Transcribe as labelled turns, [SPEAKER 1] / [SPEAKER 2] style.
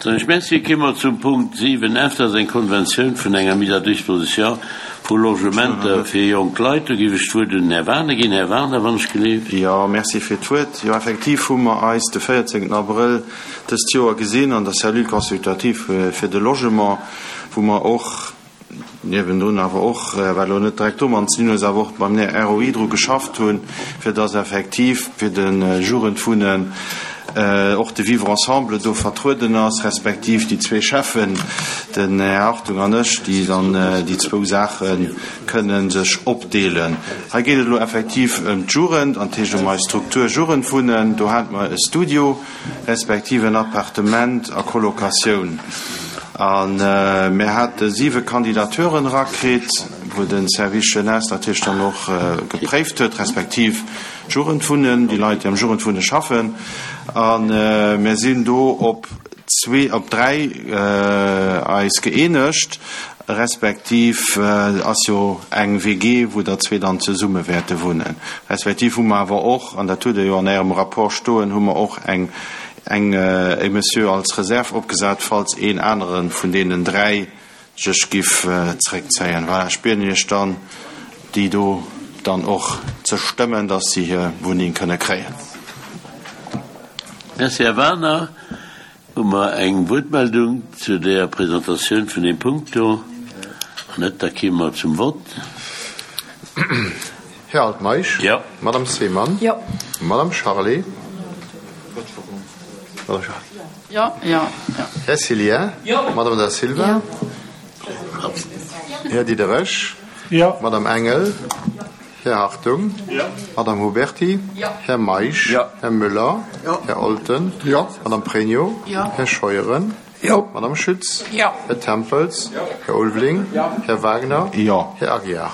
[SPEAKER 1] Soen ech Merci. Kéime mer zum Punkt 7 F, dat ass eng Konventioun vun enger Mise à disposition vu Logementer fir jonk Leit. Do géif ech d'Wuert un den Här Wagener ginn. Här Wagener, wann ech geleeft.
[SPEAKER 2] Jo, merci fir d'Wuert. Jo, effektiv hu mer eis de 14 Abrëll dëst Joer gesinn an der Cellule consultative fir de Logement, wou mer och, niewendrun awer och, wat elo net direkt domat ze dinn huet, awer och beim ROI dru geschafft hunn, fir dass effektiv fir de Jugendwunnen och de Vivre ensemble do vertrueden ass, respektiv déi zwee Cheffen, den Här Hartung an ech, déi dann déi zwou Saache kënne sech opdeelen. Hei geet et elo effektiv ëm d'Jugend, an dat heescht ëm eis Struktur Jugendwunnen. Do hate mer e Studio. respektiv en Appartement a Colocatioun. A mir hate siwe Kandidateuren erakritt, wou de Service Jeunesse natierlech dann och gepréift huet, respektiv d'Jugendwunnen, déi Leit, déi am Jugendwunne schaffen. A mir sinn do op zwee, op dräi eis gëeenegt, respektiv ass jo eng WG, wou der zwee dann zesumme wäerte wunnen. Respektiv hu mer awer och, an dat hutt Der jo an Ärem Rapport stoen, hu mer och eng, eng, e Monsieur als Reserve opgesat, falls een anere vun deenen dräi sech giff zréckzéien. Voilà, ech bieden Iech dann, déi do dann och ze stëmmen, dass si hir Wunneng kënne kréien.
[SPEAKER 1] Merci, Här Wagener. Hu mer eng Wuertmeldung zu där Presentatioun vun deem Punkt do? Wann net, da kéime mer zum Vott.
[SPEAKER 3] Här Altmeisch.
[SPEAKER 1] Jo.
[SPEAKER 3] Madame Seemann.
[SPEAKER 4] Jo.
[SPEAKER 3] Madame Charlé.
[SPEAKER 4] Jo, jo, jo.
[SPEAKER 3] Här Cillien.
[SPEAKER 4] Jo.
[SPEAKER 3] Madame Da Silva.
[SPEAKER 4] Jo.
[SPEAKER 3] Här Diderich.
[SPEAKER 5] Jo.
[SPEAKER 3] Madame Engel. Här Hartung. Madame Huberty. Här Meisch. Här Müller. Här Olten. Madame Pregno. Här Scheuren. Madame Schütz. Här Tempels. Här Ulveling. Här Wagner. Här Aguiar.